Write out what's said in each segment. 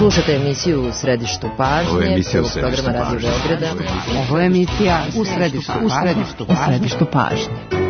Slušate emisiju U središtu pažnje. Ovo je emisija U središtu pažnje. Ovo je emisija U središtu pažnje.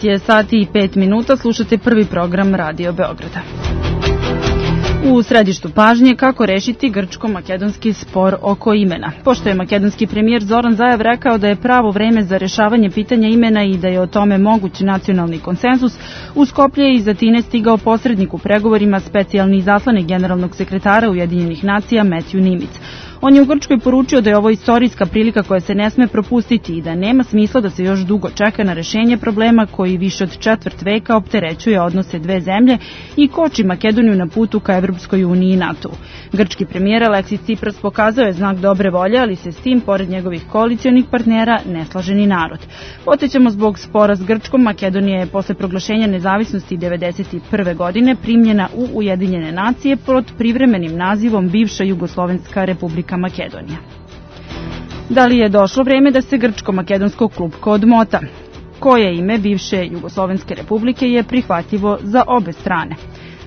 Je sati i 5 minuta, slušate prvi program Radio Beograda. U središtu pažnje kako rešiti grčko-makedonski spor oko imena. Pošto je makedonski premijer Zoran Zaev rekao da je pravo vreme za rešavanje pitanja imena i da je o tome moguć nacionalni konsenzus, u Skoplje je iz Atine stigao posrednik u pregovorima, specijalni izaslanik generalnog sekretara Ujedinjenih nacija Matthew Nimitz. On je u Grčkoj poručio da je ovo istorijska prilika koja se ne sme propustiti i da nema smisla da se još dugo čeka na rešenje problema koji više od četvrt veka opterećuje odnose dve zemlje i koči Makedoniju na putu ka Evropskoj uniji i NATO. Grčki premijer Aleksis Tsipras pokazao je znak dobre volje, ali se s tim, pored njegovih koalicionih partnera, ne slaže ni narod. Podsećamo, zbog spora s Grčkom, Makedonija je posle proglašenja nezavisnosti 1991. godine primljena u Ujedinjene nacije pod privremenim nazivom bivša Jugoslovenska republika Makedonija. Da li je došlo vreme da se grčko-makedonsko klupko odmota? Koje ime bivše Jugoslovenske republike je prihvatljivo za obe strane?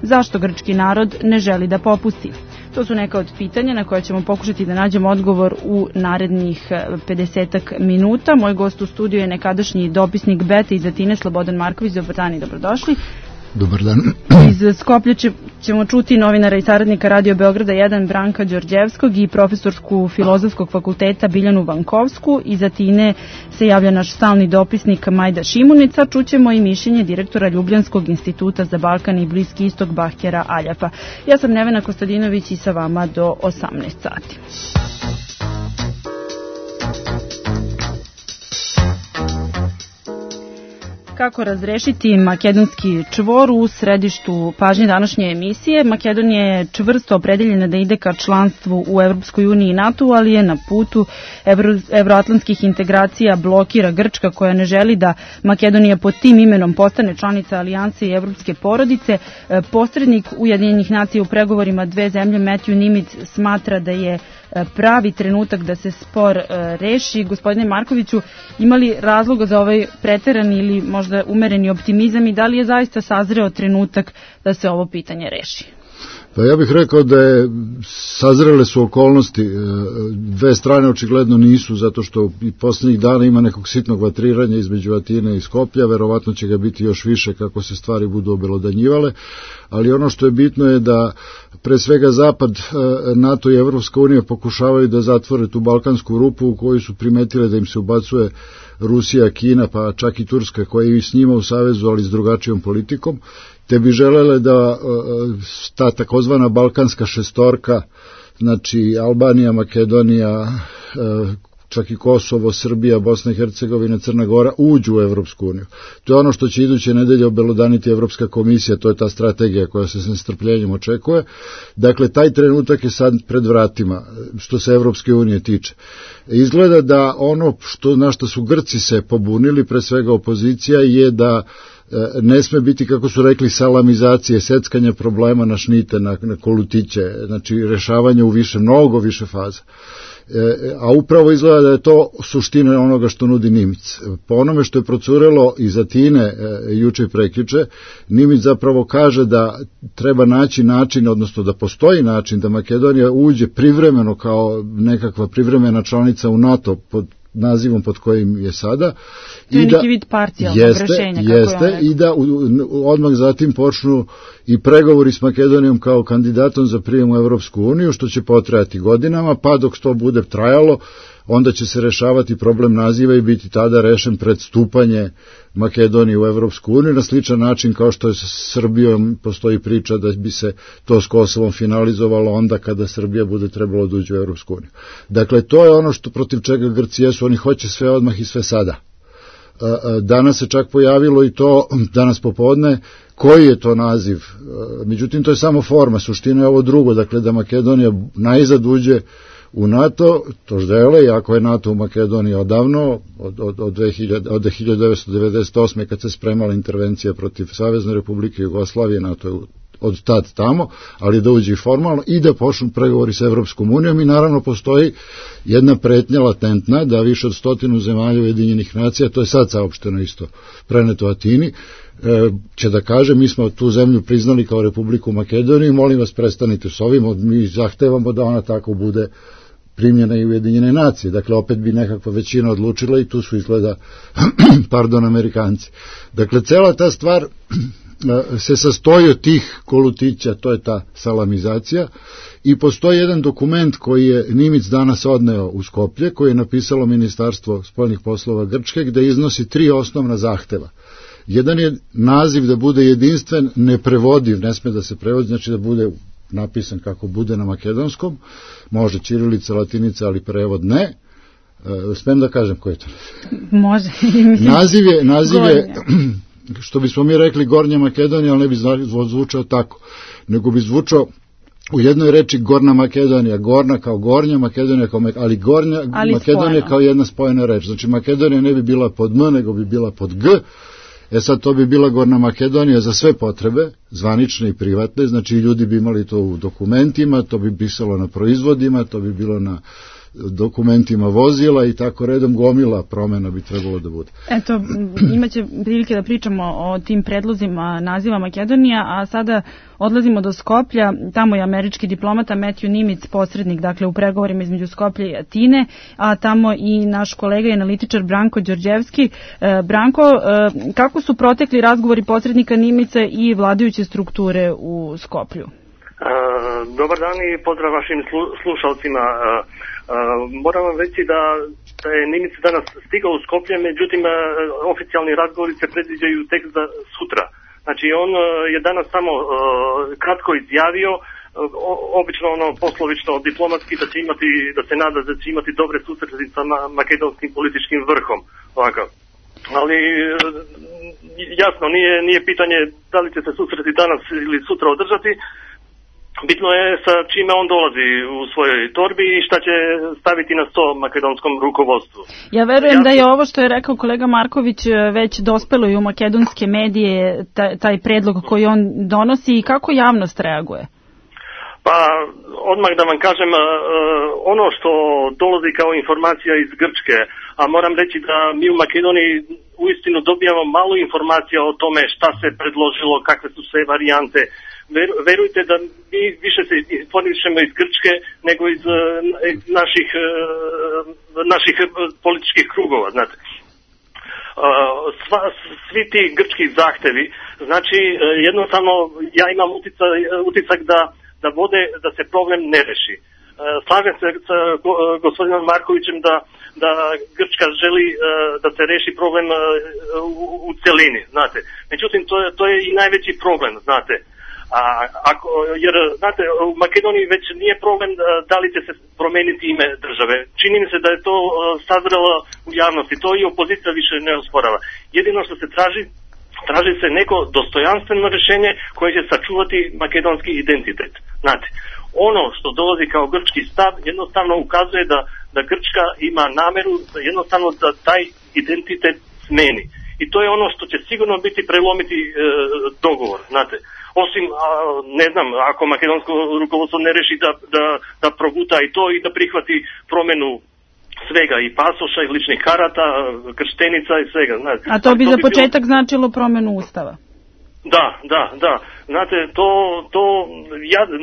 Zašto grčki narod ne želi da popusti? To su neka od pitanja na koje ćemo pokušati da nađemo odgovor u narednih 50 minuta. Moj gost u studiju je nekadašnji dopisnik BETA iz Atine, Slobodan Marković. Dobar dan i dobrodošli. Dobar dan. Iz Skoplja ćemo čuti novinara i saradnika Radio Beograda 1 Branka Đorđevskog i profesorsku Filozofskog fakulteta Biljanu Vankovsku. Iz Atine se javlja naš stalni dopisnik Majda Šimunica. Čućemo i mišljenje direktora Ljubljanskog instituta za Balkan i Bliski istok Bahtjera Aljafa. Ja sam Nevena Kostadinović i sa vama do 18 sati. Kako razrešiti makedonski čvor u središtu pažnje današnje emisije? Makedonija je čvrsto opredeljena da ide ka članstvu u Evropskoj uniji i NATO, ali je na putu evroatlantskih integracija blokira Grčka, koja ne želi da Makedonija pod tim imenom postane članica alijanse i evropske porodice. Posrednik Ujedinjenih nacija u pregovorima dve zemlje Matthew Nimitz smatra da je pravi trenutak da se spor reši. Gospodine Markoviću, ima li razloga za ovaj preterani ili možda umereni optimizam i da li je zaista sazreo trenutak da se ovo pitanje reši? Pa ja bih rekao da je sazrele su okolnosti, dve strane očigledno nisu, zato što i posljednjih dana ima nekog sitnog vatriranja između Atine i Skoplja, verovatno će ga biti još više kako se stvari budu obelodanjivale, ali ono što je bitno je da pre svega Zapad, NATO i Evropska unija pokušavaju da zatvore tu balkansku rupu u kojoj su primetile da im se ubacuje Rusija, Kina, pa čak i Turska koja je i s njima u savezu, ali s drugačijom politikom, te bi želele da ta takozvana balkanska šestorka, znači Albanija, Makedonija, čak i Kosovo, Srbija, Bosna i Hercegovina, Crna Gora uđu u Evropsku uniju. To je ono što će iduće nedelje obelodaniti Evropska komisija, to je ta strategija koja se s nestrpljenjem očekuje. Dakle, taj trenutak je sad pred vratima što se Evropske unije tiče. Izgleda da ono na što su Grci se pobunili, pre svega opozicija, je da ne sme biti, kako su rekli, salamizacije, seckanja problema na šnite, na kolutiće, znači rešavanje u mnogo više faza. A upravo izgleda da je to suština onoga što nudi Nimitz. Po onome što je procurelo iz Atine juče i prekjuče, Nimitz zapravo kaže da treba naći način, odnosno da postoji način da Makedonija uđe privremeno kao nekakva privremena članica u NATO pod nazivom pod kojim je sada. To je neki vid parcijalnog rešenja. Jeste, i da odmah zatim počnu i pregovori s Makedonijom kao kandidatom za prijem u Evropsku uniju, što će potrajati godinama, pa dok to bude trajalo, onda će se rešavati problem naziva i biti tada rešen pred stupanje Makedonije u Evropsku uniju, na sličan način kao što je sa Srbijom postoji priča da bi se to s Kosovom finalizovalo onda kada Srbija bude trebalo da uđe u Evropsku uniju. Dakle, to je ono što protiv čega Grci jesu, oni hoće sve odmah i sve sada. Danas se čak pojavilo i to, danas popodne, koji je to naziv. Međutim, to je samo forma, suština je ovo drugo, dakle da Makedonija najzad uđe u NATO, to žele, iako je NATO u Makedoniji odavno, od 1998. kad se spremala intervencija protiv Savezne Republike Jugoslavije, NATO je od tad tamo, ali da uđe formalno i da počnu pregovori sa Evropskom unijom i naravno postoji jedna pretnja latentna da više od 100 zemalja Ujedinjenih nacija, to je sad saopšteno isto preneto Atini, će da kaže mi smo tu zemlju priznali kao Republiku Makedoniju, molim vas prestanite s ovim, mi zahtevamo da ona tako bude primljena i Ujedinjene nacije. Dakle, opet bi nekakva većina odlučila i tu su izgleda Amerikanci. Dakle, cela ta stvar se sastoji od tih kolutića, to je ta salamizacija, i postoji jedan dokument koji je Nimic danas odneo u Skoplje, koji je napisalo Ministarstvo spoljnih poslova Grčke, gde iznosi 3 osnovna zahteva. Jedan je naziv da bude jedinstven, neprevodiv, ne sme da se prevodi, znači da bude napisan kako bude na makedonskom, može ćirilica, latinica, ali prevod ne. Smem da kažem koji je to? Može. Naziv je što bismo mi rekli Gornja Makedonija, ali ne bi zvučao tako, nego bi zvučao u jednoj reči Gorna Makedonija, Gorna kao Gornja, Makedonija kao ali Gornja ali Makedonija spojeno. Kao jedna spojena reč. Znači Makedonija ne bi bila pod M, nego bi bila pod G. Sad to bi bila Gorna Makedonija za sve potrebe, zvanične i privatne, znači ljudi bi imali to u dokumentima, to bi pisalo na proizvodima, to bi bilo na dokumentima vozila i tako redom gomila promena bi trebalo da bude. Eto, imaće prilike da pričamo o tim predlozima naziva Makedonija, a sada odlazimo do Skoplja, tamo je američki diplomata Matthew Nimitz posrednik, dakle u pregovorima između Skoplja i Atine, a tamo i naš kolega i analitičar Branko Đorđevski. Branko, kako su protekli razgovori posrednika Nimitza i vladajuće strukture u Skoplju? Dobar dan i pozdrav vašim slušalcima. Moram vam reći da je Nimitz danas stigao u Skoplje, međutim oficijalni razgovori se predviđaju tek za sutra. Znači on je danas samo kratko izjavio, obično poslovično diplomatski da se nada da će imati dobre susrete sa makedonskim političkim vrhom. Ovakav. Ali jasno, nije pitanje da li će se susreti danas ili sutra održati. Bitno je sa čime on dolazi u svojoj torbi i šta će staviti na sto makedonskom rukovodstvu. Ja verujem da je ovo što je rekao kolega Marković već dospelo i u makedonske medije, taj predlog koji on donosi i kako javnost reaguje? Pa, odmah da vam kažem, ono što dolazi kao informacija iz Grčke, a moram reći da mi u Makedoniji uistinu dobijamo malo informacija o tome šta se predložilo, kakve su sve varijante. Verujte da mi više se informišemo iz Grčke nego iz naših političkih krugova, znate. Svi ti grčki zahtevi, znači jednostavno ja imam utisak da se problem ne reši. Slažem se sa gospodinom Markovićem da Grčka želi da se reši problem u celini, znate. Međutim, to je i najveći problem, znate. Jer, znate, u Makedoniji već nije problem da li će se promeniti ime države. Čini mi se da je to sazrelo u javnosti. To i opozicija više ne osporava. Jedino što se traži se neko dostojanstveno rješenje koje će sačuvati makedonski identitet. Znate, ono što dolazi kao grčki stav jednostavno ukazuje da Grčka ima nameru jednostavno da taj identitet smeni. I to je ono što će sigurno biti prelomiti dogovor, znate. Osim, ne znam, ako makedonsko rukovodstvo ne reši da proguta i to i da prihvati promjenu svega, i pasoša, i ličnih karata, krštenica i svega. Znate. A to bi za početak značilo promjenu ustava? Da. Znate,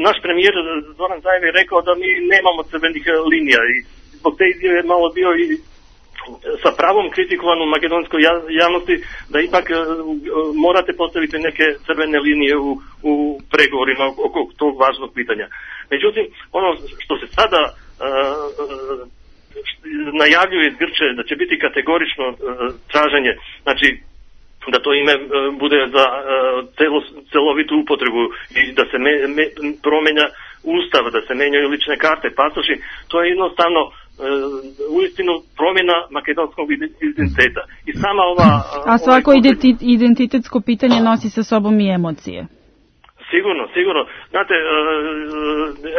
naš premijer Zoran Zaev je rekao da mi nemamo crvenih linija i zbog te izjave je malo bio i sa pravom kritikovan u makedonskoj javnosti da ipak morate postaviti neke crvene linije u pregovorima oko tog važnog pitanja. Međutim, ono što se sada najavljuje iz Grče da će biti kategorično traženje, znači da to ime bude za celovitu upotrebu i da se promenja ustav, da se menjaju lične karte, pasoši, to je jednostavno uistinu promjena makedonskog identiteta. I sama ova... A svako identitetsko pitanje nosi sa sobom i emocije. Sigurno. Znate,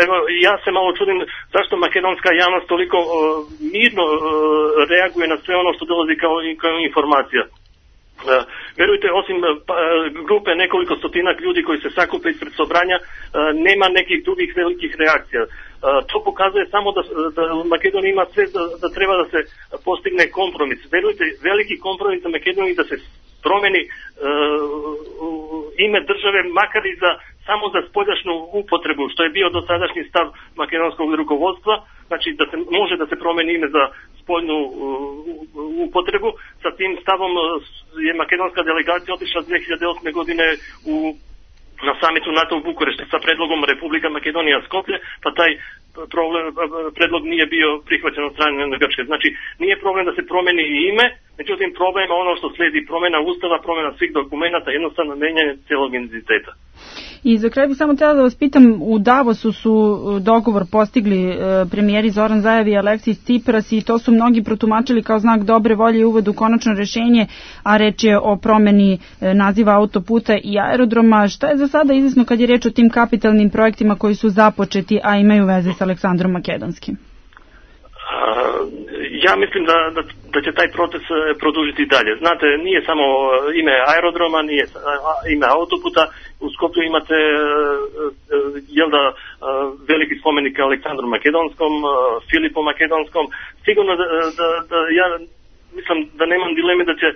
evo, ja se malo čudim zašto makedonska javnost toliko mirno reaguje na sve ono što dolazi kao informacija. Verujte, osim grupe nekoliko stotinak ljudi koji se sakupe ispred sobranja, nema nekih drugih velikih reakcija. To pokazuje samo da u Makedoniji ima sve da treba da se postigne kompromis. Verujte, veliki kompromis za Makedoniji da se promeni ime države, makar i samo za spoljašnju upotrebu, što je bio dosadašnji stav makedonskog rukovodstva, znači da se može da se promeni ime za spoljnu upotrebu. Sa tim stavom je makedonska delegacija otišla 2008. godine na samitu NATO u Bukureštu sa predlogom Republika Makedonija Skoplje, pa taj predlog nije bio prihvaćen od strane Grčke. Znači, nije problem da se promeni ime, međutim problem je ono što slijedi, promjena ustava, promjena svih dokumenta, jednostavno menjanje cijelog identiteta. I za kraj bih samo htjela da vas pitam, u Davosu su dogovor postigli premijeri Zoran Zaev i Aleksis Tsipras i to su mnogi protumačili kao znak dobre volje i uvod u konačno rješenje, a reč je o promjeni naziva autoputa i aerodroma. Šta je za sada izvesno kad je reč o tim kapitalnim projektima koji su započeti, a imaju veze s Aleksandrom Makedonskim? Ja mislim da će taj proces produžiti dalje. Znate, nije samo ime aerodroma, nije ime autoputa. U Skoplju imate veliki spomenik Aleksandru Makedonskom, Filipu Makedonskom. Sigurno da ja mislim da nemam dileme da će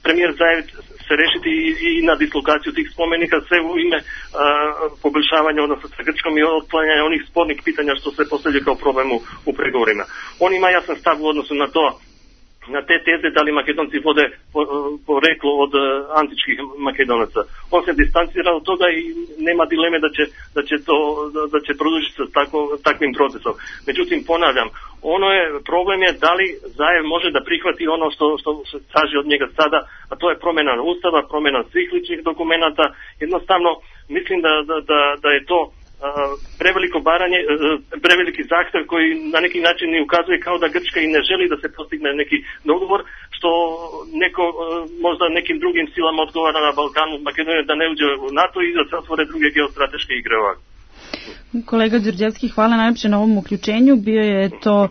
premijer Zaev se rešiti i na dislokaciju tih spomenika, sve u ime poboljšavanja odnosa sa Grčkom i otklanjanja onih spornih pitanja što se postavlja kao problem u pregovorima. On ima jasan stav u odnosu na to, na te teze da li Makedonci vode poreklo od antičkih Makedonaca. On se distancira od toga i nema dileme da će produžiti sa takvim procesom. Međutim, ponavljam, problem je da li Zaev može da prihvati ono što se traži od njega sada, a to je promjena ustava, promjena svih ličnih dokumenata. Jednostavno, mislim da je to preveliki zahtjev koji na neki način i ukazuje kao da Grčka i ne želi da se postigne neki dogovor, što možda nekim drugim silama odgovara na Balkanu, Makedonija da ne uđe u NATO i da se otvore druge geostrateške igre ovako. Kolega Đorđevski, hvala najlepše na ovom uključenju. Bio je to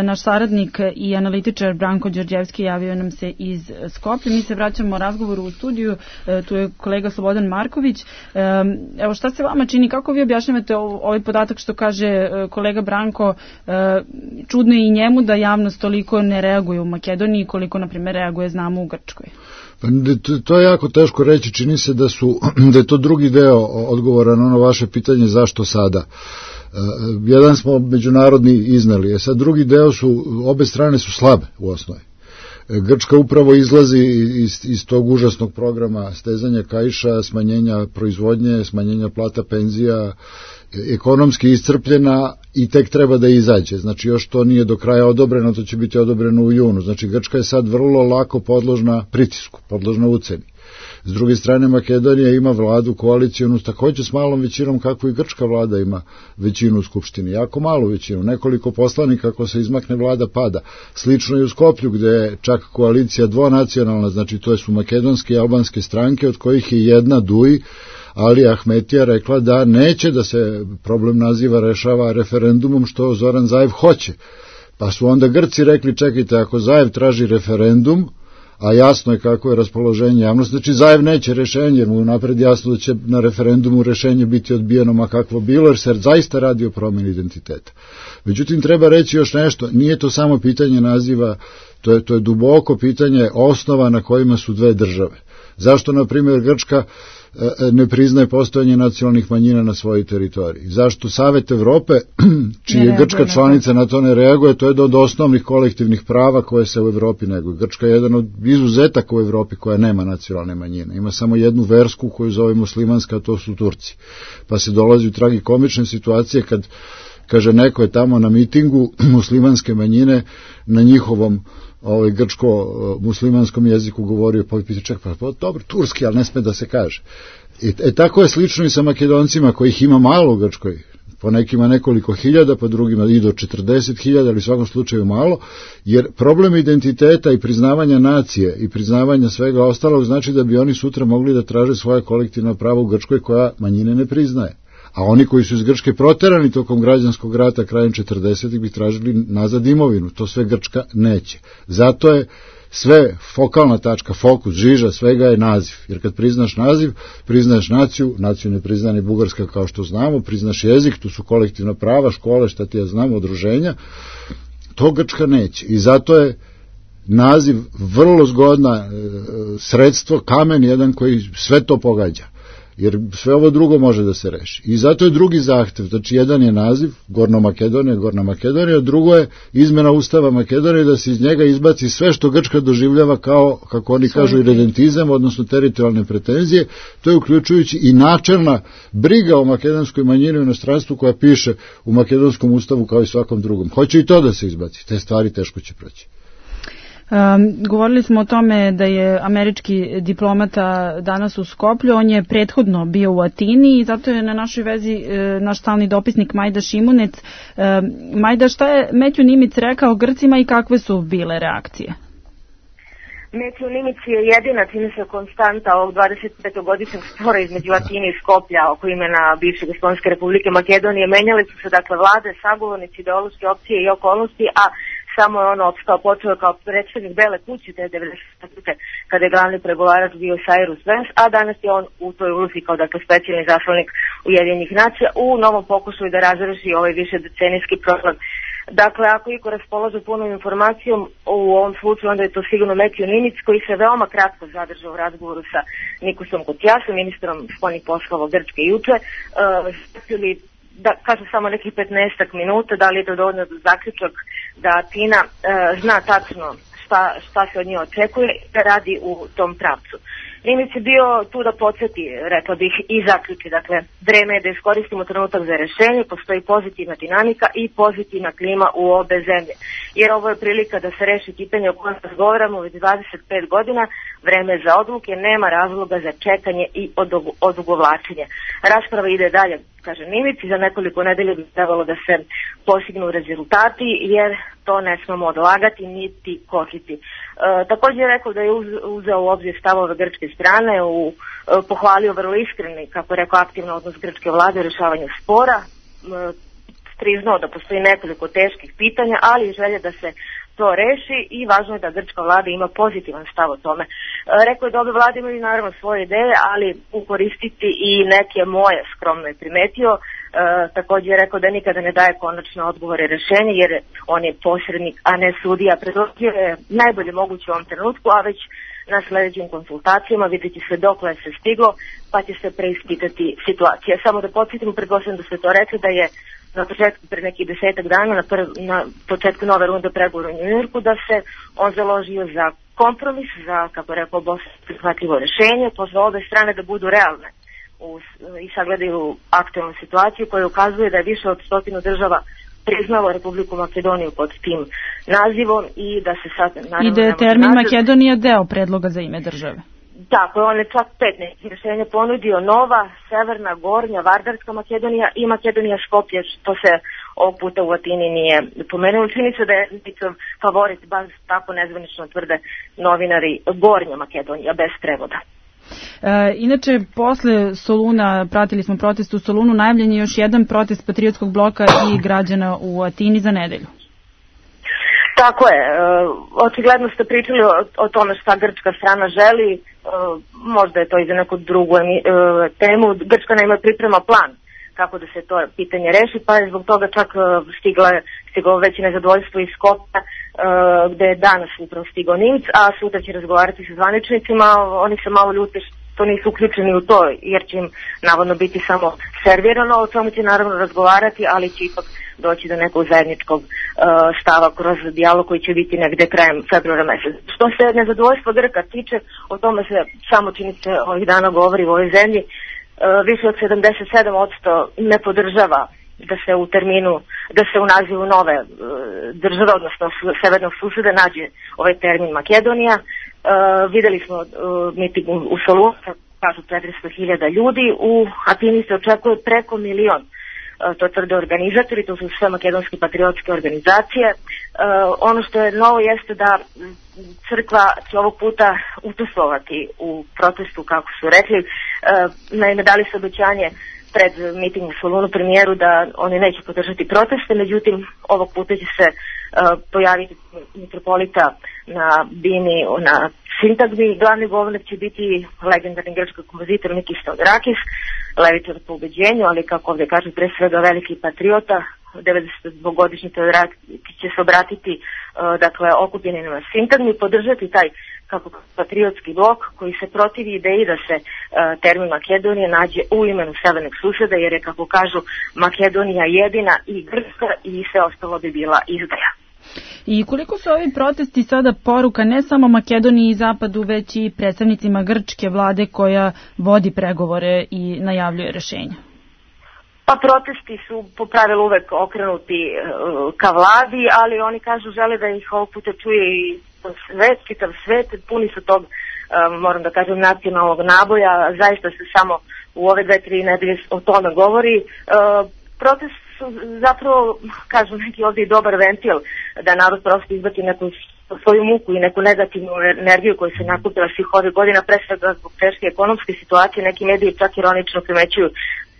naš saradnik i analitičar Branko Đorđevski, javio nam se iz Skoplja. Mi se vraćamo razgovoru u studiju, tu je kolega Slobodan Marković. Evo, šta se vama čini, kako vi objašnjavate ovaj podatak što kaže kolega Branko, čudno je i njemu da javnost toliko ne reaguje u Makedoniji koliko, na primjer, reaguje, znamo, u Grčkoj? To je jako teško reći, čini se da je to drugi deo odgovora na ono vaše pitanje zašto sada. Jedan smo međunarodni iznali, sad drugi deo obe strane su slabe u osnovi. Grčka upravo izlazi iz tog užasnog programa stezanja kaiša, smanjenja proizvodnje, smanjenja plata, penzija, ekonomski iscrpljena i tek treba da izađe. Znači još to nije do kraja odobreno, to će biti odobreno u junu. Znači Grčka je sad vrlo lako podložna pritisku, podložna uceni. S druge strane, Makedonija ima vladu koalicijonu također s malom većinom kako i grčka vlada ima većinu u Skupštini. Jako malu većinu, nekoliko poslanika, ako se izmakne vlada pada. Slično i u Skoplju gdje je čak koalicija dvonacionalna, znači to su makedonske i albanske stranke od kojih je jedna Duj, Ali Ahmetija rekla da neće da se problem naziva rešava referendumom, što Zoran Zaev hoće. Pa su onda Grci rekli, čekajte, ako Zaev traži referendum, a jasno je kako je raspoloženje javnosti, znači Zaev neće rešenje, jer mu napred jasno da će na referendumu rešenje biti odbijeno, ma kakvo bilo, jer se zaista radi o promjeni identiteta. Međutim, treba reći još nešto, nije to samo pitanje naziva, to je duboko pitanje osnova na kojima su dve države. Zašto, na primjer, Grčka ne priznaje postojanje nacionalnih manjina na svojoj teritoriji? Zašto Savet Evrope, čiji je Grčka članica, na to ne reaguje? To je od osnovnih kolektivnih prava koje se u Evropi neguju. Grčka je jedan od izuzetaka u Evropi koja nema nacionalne manjine. Ima samo jednu versku koju zove muslimanska, a to su Turci. Pa se dolazi u tragikomične situacije kad kaže neko je tamo na mitingu muslimanske manjine na njihovom grčko-muslimanskom jeziku govorio, pa pita čak, pa dobro, turski, ali ne sme da se kaže. Tako je slično i sa Makedoncima kojih ima malo u Grčkoj, po nekima nekoliko hiljada, po drugima i do 40.000, ali u svakom slučaju malo, jer problem identiteta i priznavanja nacije i priznavanja svega ostalog znači da bi oni sutra mogli da traže svoje kolektivno pravo u Grčkoj koja manjine ne priznaje. A oni koji su iz Grčke proterani tokom građanskog rata krajem 40. bi tražili nazad imovinu. To sve Grčka neće. Zato je sve fokalna tačka, fokus, žiža, svega je naziv. Jer kad priznaš naziv, priznaješ naciju, naciju ne prizna ni Bugarska kao što znamo, priznaš jezik, tu su kolektivna prava, škole, šta ti ja znam, udruženja. To Grčka neće. I zato je naziv vrlo zgodna sredstvo, kamen jedan koji sve to pogađa. Jer sve ovo drugo može da se reši. I zato je drugi zahtev, znači jedan je naziv, Gorna Makedonija, drugo je izmena Ustava Makedonije, da se iz njega izbaci sve što Grčka doživljava kao, kako oni kažu, iredentizam, odnosno teritorijalne pretenzije, to je uključujući i načelna briga o makedonskoj manjini u inostranstvu koja piše u makedonskom ustavu kao i svakom drugom. Hoće i to da se izbaci, te stvari teško će proći. Govorili smo o tome da je američki diplomata danas u Skoplju, on je prethodno bio u Atini i zato je na našoj vezi naš stalni dopisnik Majda Šimunec. Majda, šta je Matthew Nimitz rekao Grcima i kakve su bile reakcije? Matthew Nimitz je jedina, čini se, konstanta ovog 25-godišnjeg spora između Atine i Skoplja oko imena bivše Jugoslovenske republike Makedonije. Menjali su se dakle vlade, sagovornici, ideološke opcije i okolnosti, a samo je on opstao, počeo kao predstavnik Bele kuće te 90. kada je glavni pregovarač bio Cyrus Vance, a danas je on u toj ulozi kao dakle specijalni zaslanik Ujedinjenih nacija u novom pokušaju da razreši ovaj višedecenijski problem. Dakle, ako iko raspolaže punom informacijom u ovom slučaju, onda je to sigurno Matthew Nimitz, koji se veoma kratko zadržao u razgovoru sa Nikosom Kotijasom, ministrom spoljnih poslova Grčke juče, da kaže samo nekih 15 minuta, da li je to dovoljno za zaključak da Atina zna tačno šta se od nje očekuje i da radi u tom pravcu. Nimitz je bio tu da podsjeti, rekla bih, i zaključi. Dakle, vreme je da iskoristimo trenutak za rešenje, postoji pozitivna dinamika i pozitivna klima u obe zemlje. Jer ovo je prilika da se reši pitanje o kojem razgovaramo već 25 godina, vreme za odluke, nema razloga za čekanje i odugovlačenje. Rasprava ide dalje, kaže Nimitz, i za nekoliko nedelja bi trebalo da se postignu rezultati, jer to ne smemo odlagati niti kočiti. Također je rekao da je uzeo u obzir stavove grčke strane, pohvalio vrlo iskreni, kako je rekao, aktivno odnos grčke vlade u rešavanju spora, priznao da postoji nekoliko teških pitanja, ali i želja da se to reši i važno je da grčka vlada ima pozitivan stav o tome. Rekao je da ove vlade imaju naravno svoje ideje, ali ukoristiti i neke moje, skromno je primetio. Također je rekao da nikada ne daje konačne odgovore i rešenje, jer on je posrednik, a ne sudija. Predložio je najbolje moguće u ovom trenutku, a već na sledećim konsultacijama vidjeti se dokle se stiglo, pa će se preispitati situacija. Samo da podsjetimo, pretpostavljam da ste to rekli, da je na početku, pred nekih 10 dana, na početku nove runde pregovora u Njujorku, da se on založio za kompromis, za, kako je rekao, prihvatljivo rešenje, pozvao obe strane da budu realne i sagledaju aktualnu situaciju koja ukazuje da je više od 100 država priznalo Republiku Makedoniju pod tim nazivom i da se sad naravno... I da je termin Makedonija deo predloga za ime države. Tako, on je čak 5 nekih rješenja ponudio: Nova, Severna, Gornja, Vardarska Makedonija i Makedonija Skopje, što se ovog puta u Atini nije pomenulo. Čini se da je njihov favorit, baš tako nezvanično tvrde novinari, Gornja Makedonija, bez prevoda. Inače, posle Soluna, pratili smo protest u Solunu, najavljen je još jedan protest Patriotskog bloka i građana u Atini za nedelju. Tako je, očigledno ste pričali o tome šta grčka strana želi, možda je to i za neku drugu temu. Grčka naime priprema plan kako da se to pitanje reši, pa je zbog toga čak stiglo već nezadovoljstvo iz Skopja, gde je danas upravo stigao Nimitz, a sutra će razgovarati sa zvaničnicima. Oni se malo ljute što nisu uključeni u to, jer će im navodno biti samo servirano, o čemu će naravno razgovarati, ali će ipak doći do nekog zajedničkog stava kroz dijalog koji će biti negde krajem februara meseca. Što se nezadovoljstva Grka tiče, o tome se samo čini se ovih dana govori u ovoj zemlji. Više od 77% ne podržava da se u terminu, da se u nazivu nove države, odnosno severnog suseda, nađe ovaj termin Makedonija. Videli smo miting u Solunu, kažu 400.000 ljudi, u Atini se očekuje preko 1 milion. To tvrde organizatori, to su sve makedonske patriotske organizacije. Ono što je novo jeste da crkva će ovog puta učestvovati u protestu, kako su rekli. Naime, dali su obećanje pred miting u Solunu premijeru da oni neće podržati proteste, međutim ovog puta će se pojaviti mitropolita na bini, na sintagmi. Glavni govornik će biti legendarni grčki kompozitor Mikis Theodorakis, levičar po ubeđenju, ali kako ovdje kažu, pre svega veliki patriota. 92-godišnji Theodorakis će se obratiti okupljenim na sintagmi, podržati taj kako patriotski blok koji se protivi ideji da se termin Makedonije nađe u imenu severnog suseda, jer je, kako kažu, Makedonija jedina i Grčka i sve ostalo bi bila izdaja. I koliko su ovi protesti sada poruka ne samo Makedoniji i Zapadu, već i predstavnicima grčke vlade koja vodi pregovore i najavljuje rešenja? Pa protesti su po pravilu uvek okrenuti ka vladi, ali oni kažu žele da ih ovog puta čuje i svet, čitav svet, puni su tog, moram da kažem, nacionalnog naboja. Zaista se samo u ove 2-3 nedelje o tome govori. Protest su zapravo, kažu neki ovdje, dobar ventil da narod prosto izbati neku svoju muku i neku negativnu energiju koju se nakupila svih ovih godina, pre svega zbog teške ekonomske situacije. Neki mediji čak ironično primećuju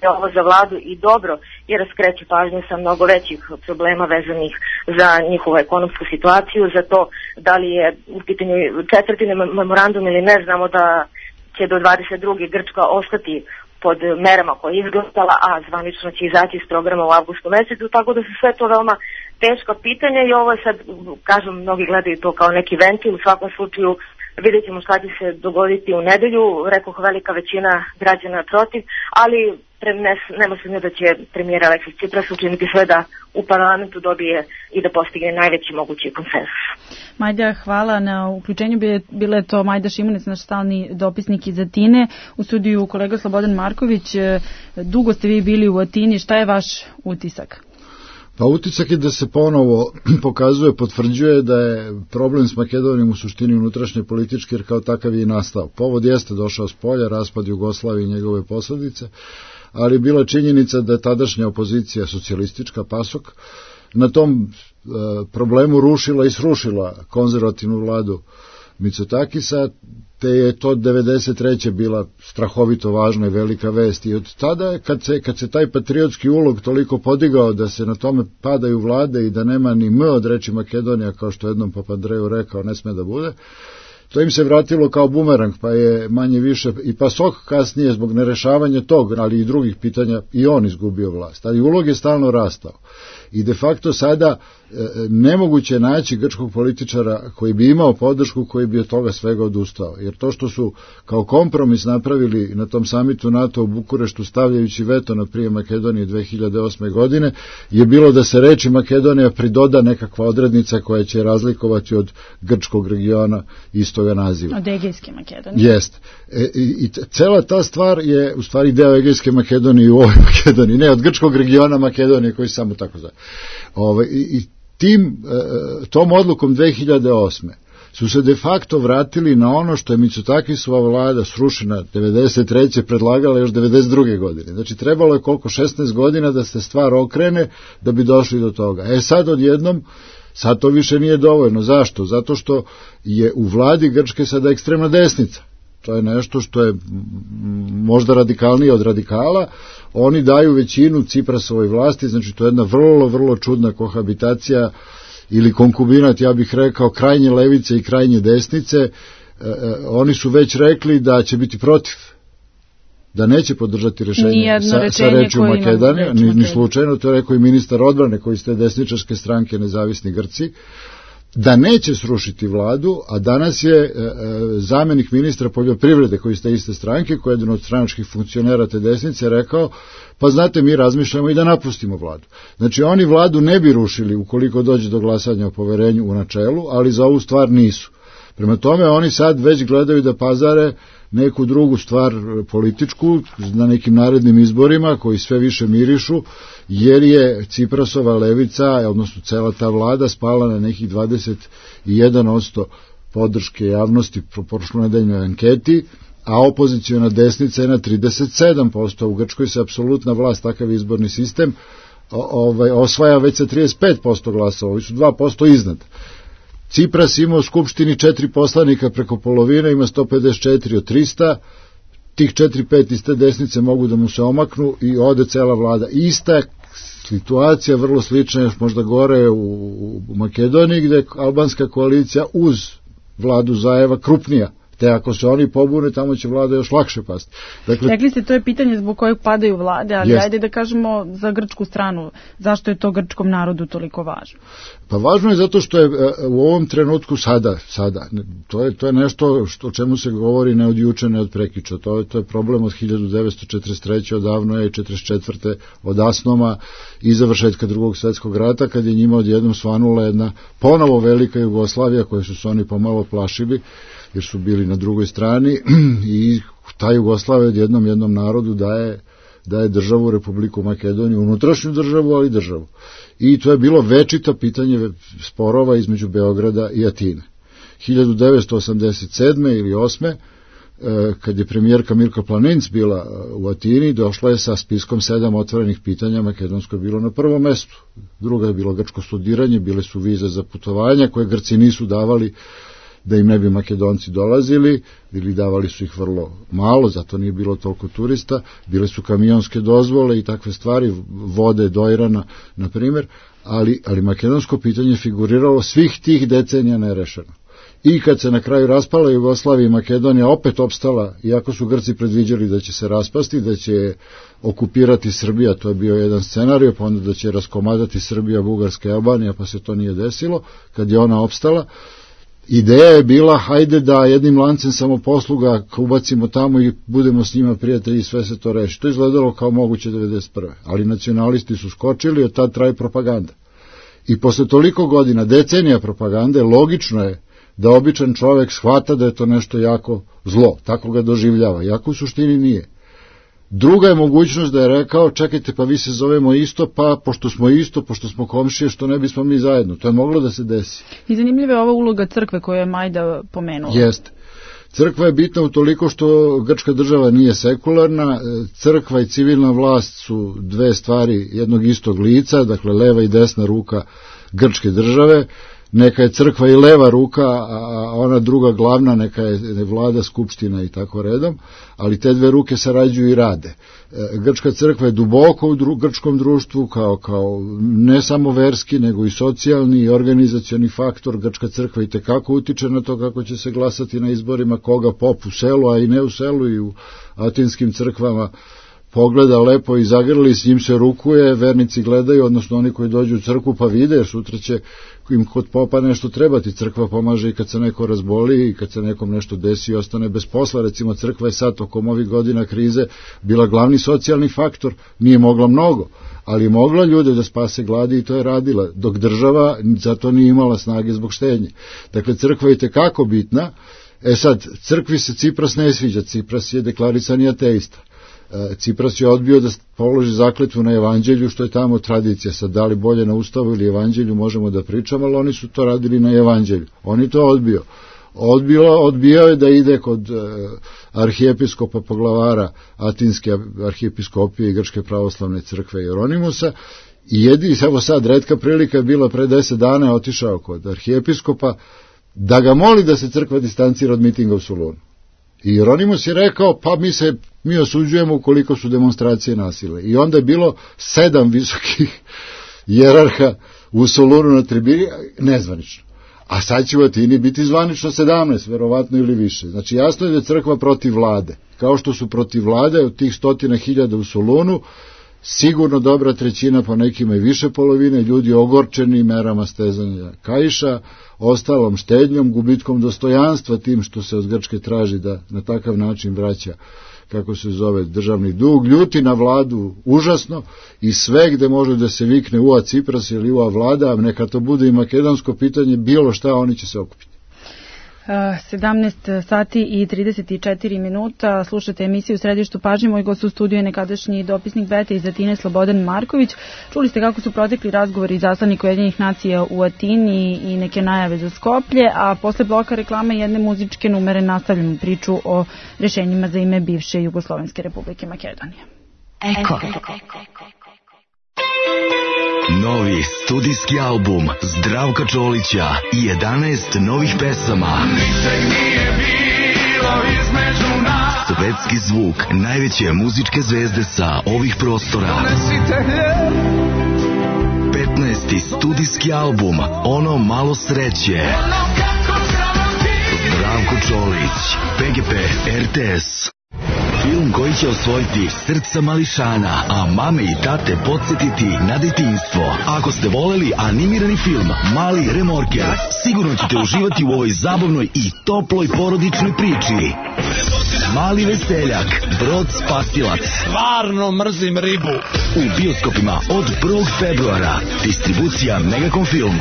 da je ovo za vladu i dobro, jer skreće pažnju sa mnogo većih problema vezanih za njihovu ekonomsku situaciju, za to da li je u pitanju četvrti memorandum ili ne. Znamo da će do 22. Grčka ostati pod merama koje je izglasala, a zvanično će izaći iz programa u avgustu mesecu, tako da su sve to veoma teška pitanja i ovo je sad, kažem, mnogi gledaju to kao neki ventil. U svakom slučaju vidjet ćemo šta će se dogoditi u nedelju. Rekoh, velika većina građana protiv, ali nema sumnje da će premijer Aleksis Tsipras učiniti sve da u parlamentu dobije i da postigne najveći mogući konsenzus. Majda, hvala na uključenju. Bila je to Majda Šimunec, naš stalni dopisnik iz Atine. U studiju kolega Slobodan Marković. Dugo ste vi bili u Atini. Šta je vaš utisak? Pa utisak je da se ponovo pokazuje, potvrđuje da je problem s Makedonijom u suštini unutrašnje politički, jer kao takav je i nastao. Povod jeste došao s polja, raspad Jugoslavije i njegove posledice, ali bila činjenica da je tadašnja opozicija socijalistička, PASOK, na tom problemu rušila i srušila konzervativnu vladu Mitsotakisa, te je to 93. bila strahovito važna i velika vest. I od tada, kad se taj patriotski ulog toliko podigao da se na tome padaju vlade i da nema ni M od reči Makedonija, kao što jednom Papandreou rekao, ne sme da bude, to im se vratilo kao bumerang, pa je manje više i PASOK kasnije zbog nerešavanja tog, ali i drugih pitanja, i on izgubio vlast. Ali ulog je stalno rastao. I de facto sada nemoguće naći grčkog političara koji bi imao podršku, koji bi od toga svega odustao. Jer to što su kao kompromis napravili na tom samitu NATO u Bukureštu, stavljajući veto na prijem Makedonije 2008. godine, je bilo da se reči Makedonija pridoda nekakva odrednica koja će razlikovati od grčkog regiona istoga naziva. Od Egejske Makedonije. Jest. I cela ta stvar je u stvari deo Egejske Makedonije u ovoj Makedoniji, ne od grčkog regiona Makedonije koji samo tako zove. I tom odlukom 2008. su se de facto vratili na ono što je Mitsotakisova vlada srušena 93. predlagala još 92. godine. Znači trebalo je 16 godina da se stvar okrene da bi došli do toga. Sad odjednom, sad to više nije dovoljno. Zašto? Zato što je u vladi Grčke sada ekstremna desnica. To je nešto što je možda radikalnije od radikala. Oni daju većinu Ciprasovoj vlasti, znači to je jedna vrlo, vrlo čudna kohabitacija ili konkubinat, ja bih rekao, krajnje levice i krajnje desnice. Oni su već rekli da će biti protiv, da neće podržati rešenje sa rečju Makedonija, ni slučajno, to je rekao i ministar odbrane koji ste desničarske stranke Nezavisni Grci, da neće srušiti vladu, a danas je zamenik ministra poljoprivrede koji ste iste stranke, koji je jedan od stranačkih funkcionera te desnice, rekao, pa znate, mi razmišljamo i da napustimo vladu. Znači oni vladu ne bi rušili ukoliko dođe do glasanja o poverenju u načelu, ali za ovu stvar nisu. Prema tome oni sad već gledaju da pazare neku drugu stvar političku na nekim narednim izborima koji sve više mirišu, jer je Ciprasova levica, odnosno cela ta vlada, spala na nekih 21% podrške javnosti po prošlonedeljnoj anketi, a opoziciona desnica je na 37%. U Grčkoj se apsolutna vlast, takav izborni sistem, osvaja već sa 35% glasova, ovi su 2% iznad. Cipras ima u Skupštini 4 poslanika preko polovine, ima 154 od 300, tih 4-5 iz te desnice mogu da mu se omaknu i ode cela vlada. Ista situacija, vrlo slična, još možda gore u Makedoniji, gde je albanska koalicija uz vladu Zajeva krupnija. Te ako se oni pobune, tamo će vlada još lakše pasti. Dakle, rekli ste, to je pitanje zbog kojeg padaju vlade, ali ajde da kažemo za grčku stranu, zašto je to grčkom narodu toliko važno? Pa važno je zato što je u ovom trenutku sada to je nešto o čemu se govori ne od juče, ne od prekjuče. To je problem od 1943. odavno je 1944. od Asnoma i završetka Drugog svjetskog rata, kad je njima odjednom svanula jedna ponovo velika Jugoslavija koju su se oni pomalo plašili, jer su bili na drugoj strani, i ta Jugoslavija jednom narodu daje državu, Republiku Makedoniju, unutrašnju državu, ali državu. I to je bilo večito pitanje sporova između Beograda i Atine. 1987. ili 8. kad je premijerka Mirko Planinc bila u Atini, došla je sa spiskom 7 otvorenih pitanja, makedonsko je bilo na prvom mestu. Druga je bilo grčko studiranje, bile su vize za putovanja koje Grci nisu davali da im ne bi Makedonci dolazili, ili davali su ih vrlo malo, zato nije bilo toliko turista, bile su kamionske dozvole i takve stvari, vode do Irana, na primjer, ali makedonsko pitanje figuriralo svih tih decenija nerešeno. I kad se na kraju raspala Jugoslavija i Makedonija opet opstala, iako su Grci predviđali da će se raspasti, da će okupirati Srbija, to je bio jedan scenario, pa onda da će raskomadati Srbija, Bugarska i Albanija, pa se to nije desilo. Kad je ona opstala, ideja je bila, hajde da jednim lancem samoposluga ubacimo tamo i budemo s njima prijatelji i sve se to reši. To je izgledalo kao moguće 1991. Ali nacionalisti su skočili, od tad traje propaganda. I posle toliko godina, decenija propagande, logično je da običan čovek shvata da je to nešto jako zlo, tako ga doživljava, jako u suštini nije. Druga je mogućnost da je rekao, čekajte, pa vi se zovemo isto, pa pošto smo komšije, što ne bismo mi zajedno. To je moglo da se desi. I zanimljiva je ova uloga crkve koju je Majda pomenula. Jeste. Crkva je bitna utoliko što grčka država nije sekularna, crkva i civilna vlast su dve stvari jednog istog lica, dakle leva i desna ruka grčke države. Neka je crkva i leva ruka, a ona druga glavna, neka je vlada, skupština i tako redom, ali te dve ruke sarađuju i rade. Grčka crkva je duboko u grčkom društvu, kao ne samo verski, nego i socijalni i organizacioni faktor. Grčka crkva i tekako utiče na to kako će se glasati na izborima, koga pop u selu, a i ne u selu, i u atinskim crkvama pogleda lepo i zagrli, s njim se rukuje, vernici gledaju, odnosno oni koji dođu u crkvu pa vide, jer sutra će im kod popa nešto trebati. Crkva pomaže i kad se neko razboli i kad se nekom nešto desi i ostane bez posla. Recimo, crkva je sad tokom ovih godina krize bila glavni socijalni faktor, nije mogla mnogo, ali je mogla ljude da spase gladi i to je radila, dok država zato nije imala snage zbog štednje. Dakle, crkva je tekako bitna. Sad, crkvi se Cipras ne sviđa, Cipras je deklarisani ateista. Cipras je odbio da položi zakletvu na evanđelju, što je tamo tradicija. Sad, da li bolje na ustavu ili evanđelju možemo da pričamo, ali oni su to radili na evanđelju. On je to odbijao je da ide kod arhijepiskopa poglavara Atinske arhijepiskopije i Grčke pravoslavne crkve Jeronimusa, i evo sad, retka prilika je bila pre 10 dana, je otišao kod arhijepiskopa da ga moli da se crkva distancira od mitinga u Solunu. I Jeronimus je rekao, pa mi osuđujemo ukoliko su demonstracije nasile. I onda je bilo 7 visokih jerarha u Solunu na tribini, nezvanično. A sad će u Atini biti zvanično 17, verovatno ili više. Znači, jasno je da je crkva protiv vlade. Kao što su protiv vlade od tih 100.000 u Solunu, sigurno dobra trećina, pa nekima i više polovine, ljudi ogorčeni merama stezanja kaiša, ostalom štednjom, gubitkom dostojanstva, tim što se od Grčke traži da na takav način vraća, kako se zove, državni dug, ljuti na vladu užasno, i sve gde može da se vikne ua Cipras ili ua vlada, neka to bude i makedonsko pitanje, bilo šta, oni će se okupiti. 17 sati i 34 minuta. Slušate emisiju Središtu pažnje. Moj gost u studiju je nekadašnji dopisnik Bete iz Atine Slobodan Marković. Čuli ste kako su protekli razgovori izaslanika Ujedinjenih nacija u Atini i neke najave za Skoplje, a posle bloka reklame jedne muzičke numere nastavljamo priču o rešenjima za ime bivše Jugoslovenske Republike Makedonije. Eko. Novi studijski album Zdravka Čolića i 11 novih pesama. Svetski zvuk najveće muzičke zvezde sa ovih prostora. 15. studijski album Ono malo sreće. Zdravko Čolić, PGP, RTS. Film koji će osvojiti srca mališana, a mame i tate podsjetiti na detinjstvo. Ako ste voleli animirani film Mali remorker, sigurno ćete uživati u ovoj zabavnoj i toploj porodičnoj priči. Mali veseljak, Brod spasilac. Stvarno mrzim ribu. U bioskopima od 1. februara. Distribucija Megacom Film.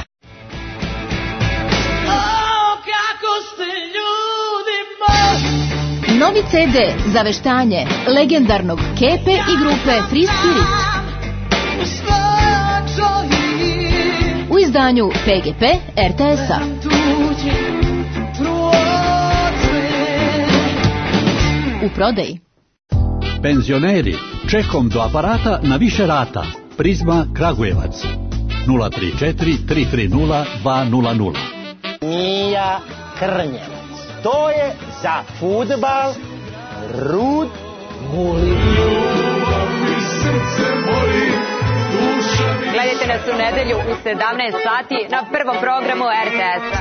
Novi CD za veštanje legendarnog Kepe i grupe Free Spirit. U izdanju PGP RTS-a. U prodaji. Penzioneri, čekom do aparata na više rata. Prizma Kragujevac. 034 330 200. Mija Krnjevac. To je za fudbal Rud Guli. Gledajte nas u nedelju u 17 sati na prvom programu RTS-a.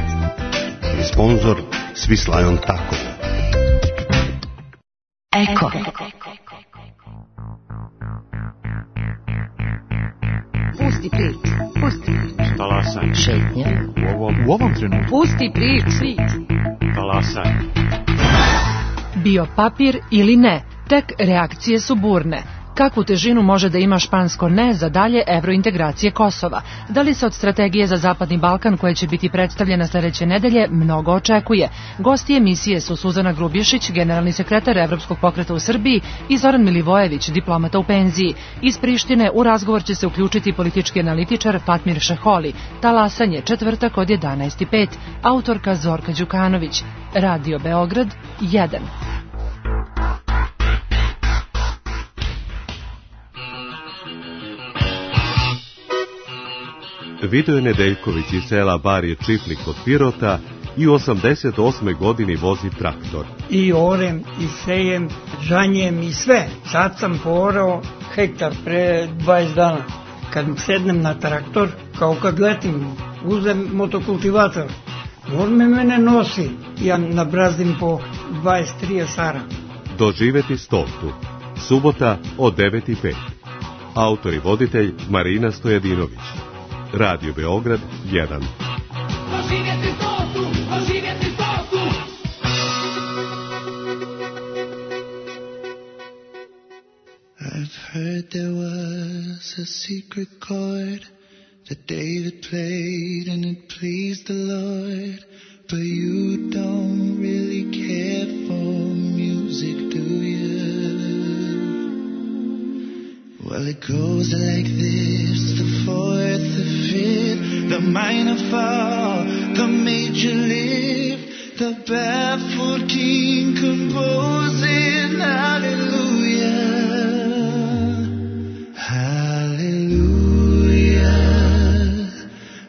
Sponzor Swiss Tako. Eko. Pusti priču. Pusti priču. Talasaj. Šetnja. U ovom trenutku. Pusti priču. Talasaj. Bio papir ili ne, tek reakcije su burne. Kakvu težinu može da ima špansko ne za dalje evrointegracije Kosova? Da li se od strategije za Zapadni Balkan, koja će biti predstavljena sledeće nedelje, mnogo očekuje? Gosti emisije su Suzana Grubješić, generalni sekretar Evropskog pokreta u Srbiji, i Zoran Milivojević, diplomata u penziji. Iz Prištine u razgovor će se uključiti politički analitičar Fatmir Šeholi. Talasanje, četvrtak od 11:05. Autorka Zorka Đukanović. Radio Beograd 1. Vidoje Nedeljković iz sela Barje Čipnik kod Pirota i u 88. godini vozi traktor. I orem, i sejem, žanjem i sve. Sad sam porao hektar pre 20 dana. Kad sednem na traktor, kao kad letim, uzem motokultivator. On mene nosi. Ja nabrazdim po 23 sara. Doživeti stotu. Subota od 9:05. Autor i voditelj Marina Stojadinović. Radio Beograd 1. I've heard there was a secret chord that David played and it pleased the Lord, but you don't really care for music, do you? Well, it goes like this: the fourth, the fifth, the minor fall, the major lift, the baffled king composing hallelujah, hallelujah,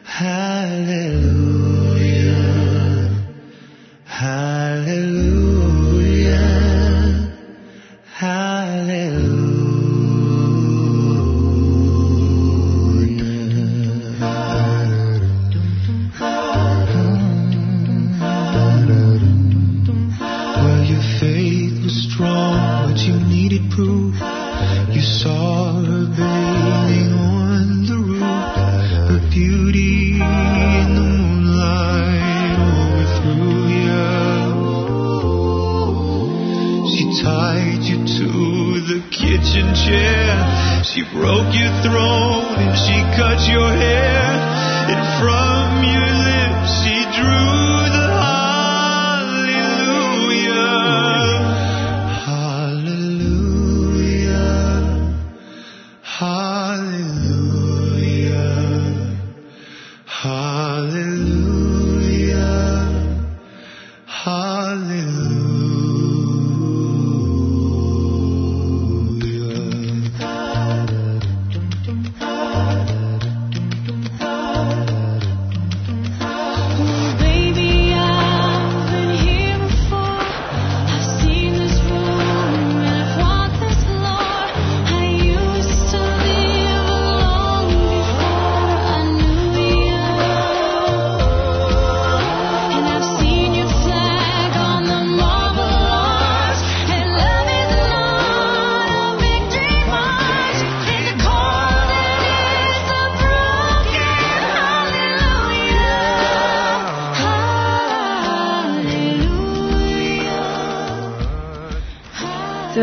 hallelujah, hallelujah, hallelujah. Proof. You saw her bathing on the roof, her beauty in the moonlight overthrew you. She tied you to the kitchen chair, she broke your throne and she cut your hair, and from your lips she drew the heart.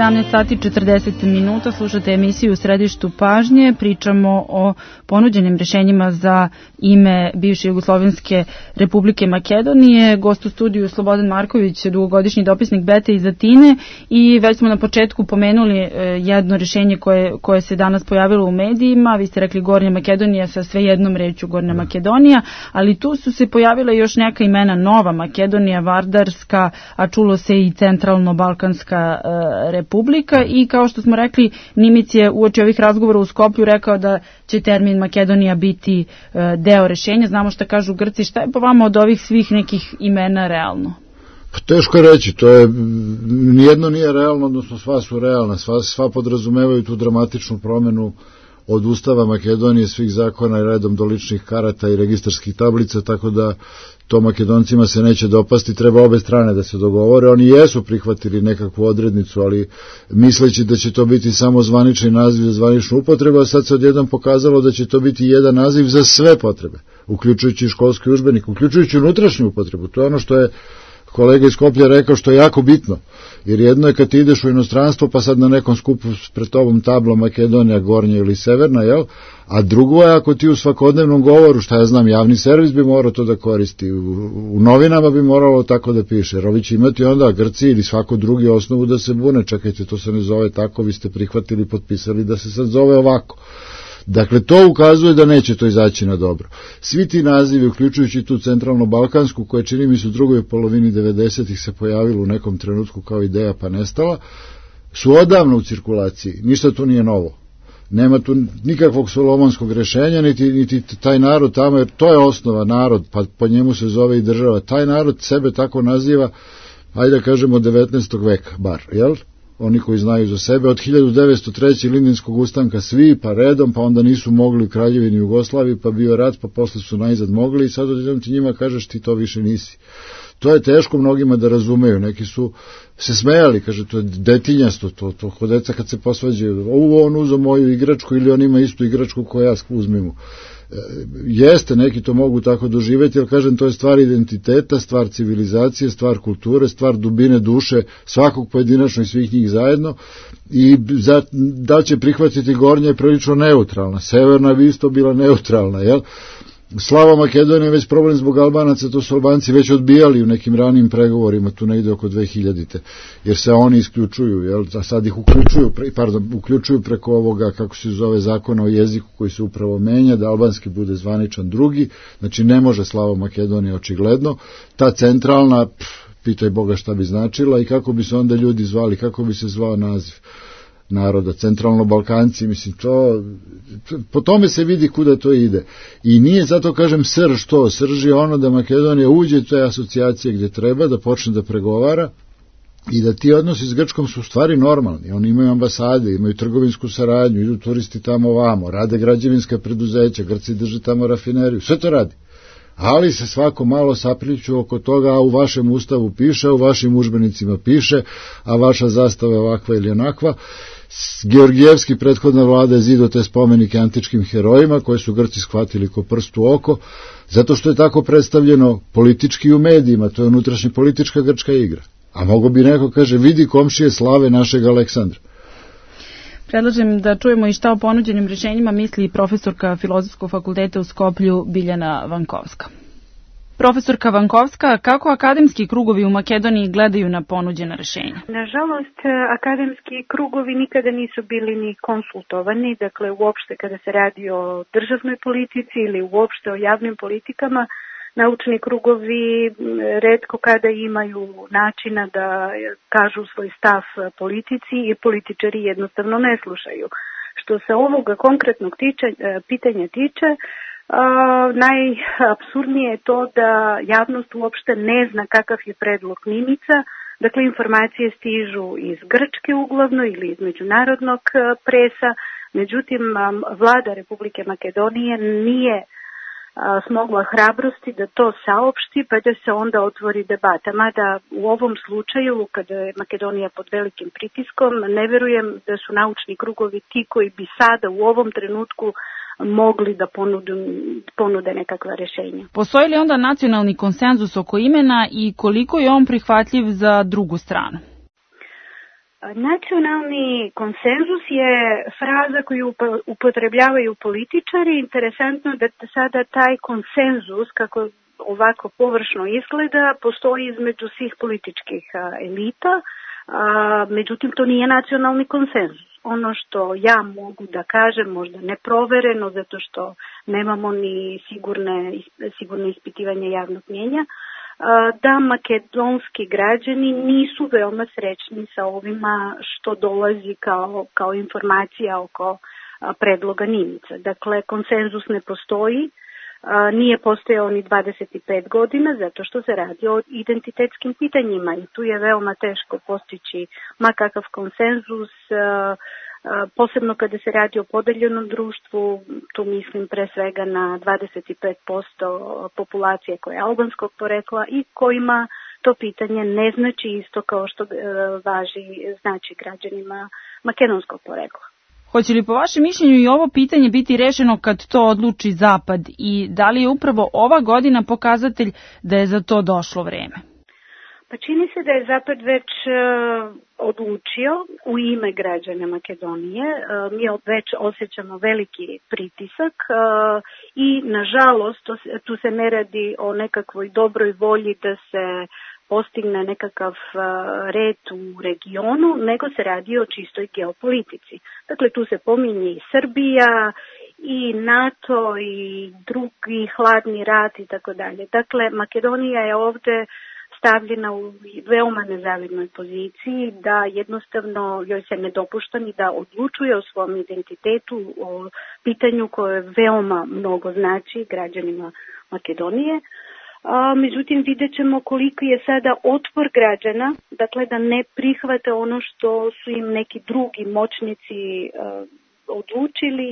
17 sati 40 minuta, slušate emisiju u Središtu pažnje, pričamo o ponuđenim rešenjima za ime bivše Jugoslovenske Republike Makedonije. Gost u studiju Slobodan Marković, dugogodišnji dopisnik Bete iz Atine, i već smo na početku pomenuli jedno rešenje koje se danas pojavilo u medijima. Vi ste rekli Gornja Makedonija sa sve jednom rečju Gornja Makedonija, ali tu su se pojavile još neka imena: Nova Makedonija, Vardarska, a čulo se i Centralno-Balkanska Republika, i kao što smo rekli, Nimić je uoči ovih razgovora u Skoplju rekao da će termin Makedonija biti deo rešenja. Znamo šta kažu Grci. Šta je po vama od ovih svih nekih imena realno? Teško je reći, to je, nijedno nije realno, odnosno sva su realna, sva podrazumevaju tu dramatičnu promenu od Ustava Makedonije, svih zakona i redom do ličnih karata i registarskih tablica, tako da to Makedoncima se neće dopasti, treba obe strane da se dogovore. Oni jesu prihvatili nekakvu odrednicu, ali misleći da će to biti samo zvanični naziv za zvaničnu upotrebu, a sad se odjednom pokazalo da će to biti jedan naziv za sve potrebe, uključujući školski udžbenik, uključujući unutrašnju upotrebu. To je ono što je kolega iz Skoplja rekao, što je jako bitno, jer jedno je kad ti ideš u inostranstvo pa sad na nekom skupu pred tobom tabla Makedonija, Gornja ili Severna, jel? A drugo je ako ti u svakodnevnom govoru, šta ja znam, javni servis bi morao to da koristi, u novinama bi moralo tako da piše, jer ovi će imati onda Grci ili svako drugi osnovu da se bune, čekajte, to se ne zove tako, vi ste prihvatili, potpisali da se sad zove ovako. Dakle, to ukazuje da neće to izaći na dobro. Svi ti nazivi, uključujući tu Centralno-Balkansku, koja čini mi se u drugoj polovini 90-ih se pojavilo u nekom trenutku kao ideja pa nestala, su odavno u cirkulaciji. Ništa tu nije novo. Nema tu nikakvog solomonskog rešenja, niti taj narod tamo, jer to je osnova, narod, pa po njemu se zove i država. Taj narod sebe tako naziva, ajde da kažemo, 19. veka, bar, jel? Oni koji znaju za sebe, od 1903. Lindinskog ustanka svi, pa redom, pa onda nisu mogli u Kraljevini Jugoslaviji, pa bio rat, pa posle su najzad mogli i sad odjednom ti njima kažeš ti to više nisi. To je teško mnogima da razumeju, neki su se smejali, kaže to je detinjasto, to kod deca kad se posvađaju, on uzeo moju igračku ili on ima istu igračku koju ja uzmem. Jeste, neki to mogu tako doživjeti, ali kažem, to je stvar identiteta, stvar civilizacije, stvar kulture, stvar dubine duše svakog pojedinačno i svih njih zajedno, i da će prihvatiti Gornja je prilično neutralna, Severna bi isto bila neutralna, jel? Slava Makedonija je već problem zbog Albanaca, to su Albanci već odbijali u nekim ranim pregovorima, tu negde oko 2000-te, jer se oni isključuju, jel? A sad ih uključuju preko ovoga, kako se zove, zakona o jeziku koji se upravo menja, da albanski bude zvaničan drugi, znači ne može Slava Makedonija očigledno, ta centralna, pitaj Boga šta bi značila i kako bi se onda ljudi zvali, kako bi se zvao naziv naroda, Centralno-Balkanci, mislim, po tome se vidi kuda to ide. I nije, zato kažem, srž je ono da Makedonija uđe u te asocijacije gdje treba, da počne da pregovara i da ti odnosi s Grčkom su u stvari normalni. Oni imaju ambasade, imaju trgovinsku saradnju, idu turisti tamo ovamo, rade građevinska preduzeća, Grci drže tamo rafineriju, sve to radi. Ali se svako malo sapliću oko toga, a u vašem ustavu piše, a u vašim udžbenicima piše, a vaša zastava je ovakva ili onakva. Georgijevski, prethodna vlada, je zidao te spomenike antičkim herojima koje su Grci shvatili ko prst u oko, zato što je tako predstavljeno politički u medijima, to je unutrašnja politička grčka igra. A mogo bi neko kaže, vidi komšije slave našeg Aleksandra. Predlažem da čujemo i šta o ponuđenim rešenjima misli profesorka Filozofskog fakulteta u Skoplju Biljana Vankovska. Profesorka Vankovska, kako akademski krugovi u Makedoniji gledaju na ponuđena rešenja? Nažalost, akademski krugovi nikada nisu bili ni konsultovani, dakle uopšte kada se radi o državnoj politici ili uopšte o javnim politikama, naučni krugovi retko kada imaju načina da kažu svoj stav politici i političari jednostavno ne slušaju. Što se ovoga konkretnog pitanja tiče, najapsurdnije je to da javnost uopšte ne zna kakav je predlog Nimića. Dakle, informacije stižu iz Grčke uglavno ili iz međunarodnog presa, međutim, vlada Republike Makedonije nije smogla hrabrosti da to saopšti, pa da se onda otvori debata. Mada u ovom slučaju, kada je Makedonija pod velikim pritiskom, ne verujem da su naučni krugovi ti koji bi sada u ovom trenutku mogli da ponude nekakva rešenja. Postoji li onda nacionalni konsenzus oko imena i koliko je on prihvatljiv za drugu stranu? Nacionalni konsenzus je fraza koju upotrebljavaju političari. Interesantno da sada taj konsenzus, kako ovako površno izgleda, postoji između svih političkih elita, međutim to nije nacionalni konsenzus. Ono što ja mogu da kažem, možda neprovereno, zato što nemamo ni sigurne ispitivanje javnog mnjenja, da makedonski građani nisu veoma srećni sa ovima što dolazi kao informacija oko predloga Nimica. Dakle, konsenzus ne postoji, nije postojao ni 25 godina zato što se radi o identitetskim pitanjima i tu je veoma teško postići makakav konsenzus, posebno kada se radi o podeljenom društvu, tu mislim pre svega na 25% populacije koja je albanskog porekla i kojima to pitanje ne znači isto kao što znači građanima makedonskog porekla. Hoće li po vašem mišljenju i ovo pitanje biti rešeno kad to odluči Zapad i da li je upravo ova godina pokazatelj da je za to došlo vreme? Pa čini se da je Zapad već odlučio u ime građana Makedonije. Mi već osjećamo veliki pritisak i nažalost tu se ne radi o nekakvoj dobroj volji da se postigne nekakav red u regionu, nego se radi o čistoj geopolitici. Dakle, tu se pominje i Srbija, i NATO, i drugi hladni rat i tako dalje. Dakle, Makedonija je ovde stavljena u veoma nezavidnoj poziciji, da jednostavno joj se ne dopušta ni da odlučuje o svom identitetu, o pitanju koje veoma mnogo znači građanima Makedonije. Međutim, vidjet ćemo koliko je sada otpor građana, dakle da ne prihvate ono što su im neki drugi moćnici odlučili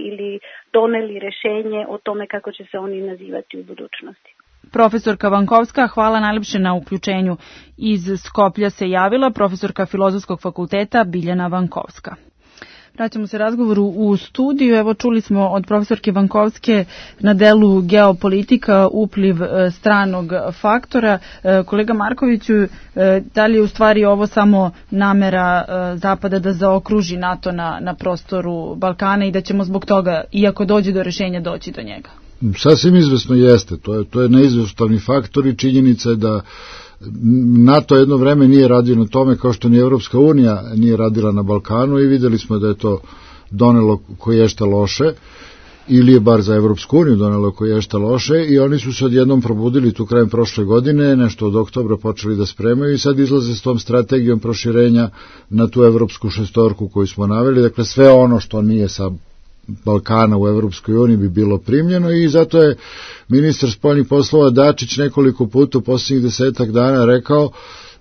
ili doneli rešenje o tome kako će se oni nazivati u budućnosti. Profesorka Vankovska, hvala najlepše na uključenju. Iz Skoplja se javila profesorka Filozofskog fakulteta Biljana Vankovska. Vraćamo se razgovoru u studiju. Evo čuli smo od profesorke Vankovske na delu geopolitika, upliv stranog faktora. Kolega Markoviću, da li je u stvari ovo samo namera Zapada da zaokruži NATO na prostoru Balkana i da ćemo zbog toga, iako dođe do rešenja, doći do njega? Sasvim izvesno jeste. To je neizostavni faktor i činjenica je da NATO jedno vreme nije radio na tome kao što ni Evropska unija nije radila na Balkanu i videli smo da je to donelo koješta loše ili je bar za Evropsku uniju donelo koješta loše i oni su se odjednom probudili tu krajem prošle godine, nešto od oktobra počeli da spremaju i sad izlaze s tom strategijom proširenja na tu evropsku šestorku koju smo naveli, dakle sve ono što nije sa Balkana u Evropskoj uniji bi bilo primljeno i zato je ministar spoljnih poslova Dačić nekoliko puta u posljednjih 10 dana rekao